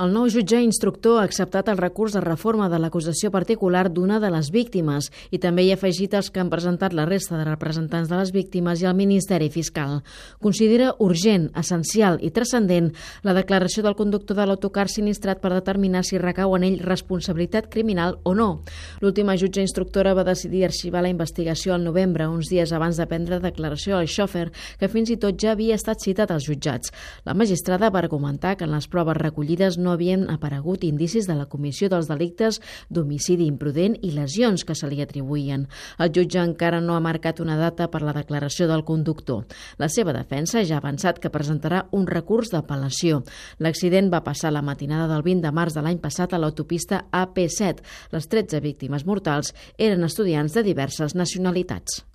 El nou jutge instructor ha acceptat el recurs de reforma de l'acusació particular d'una de les víctimes i també hi ha afegit els que han presentat la resta de representants de les víctimes i el Ministeri Fiscal. Considera urgent, essencial i transcendent la declaració del conductor de l'autocar sinistrat per determinar si recau en ell responsabilitat criminal o no. L'última jutge instructora va decidir arxivar la investigació al novembre, uns dies abans de prendre declaració al xòfer, que fins i tot ja havia estat citat als jutjats. La magistrada va argumentar que en les proves recollides no havien aparegut indicis de la comissió dels delictes d'homicidi imprudent i lesions que se li atribuïen. El jutge encara no ha marcat una data per la declaració del conductor. La seva defensa ja ha avançat que presentarà un recurs d'apel·lació. L'accident va passar la matinada del 20 de març de l'any passat a l'autopista AP7. Les 13 víctimes mortals eren estudiants de diverses nacionalitats.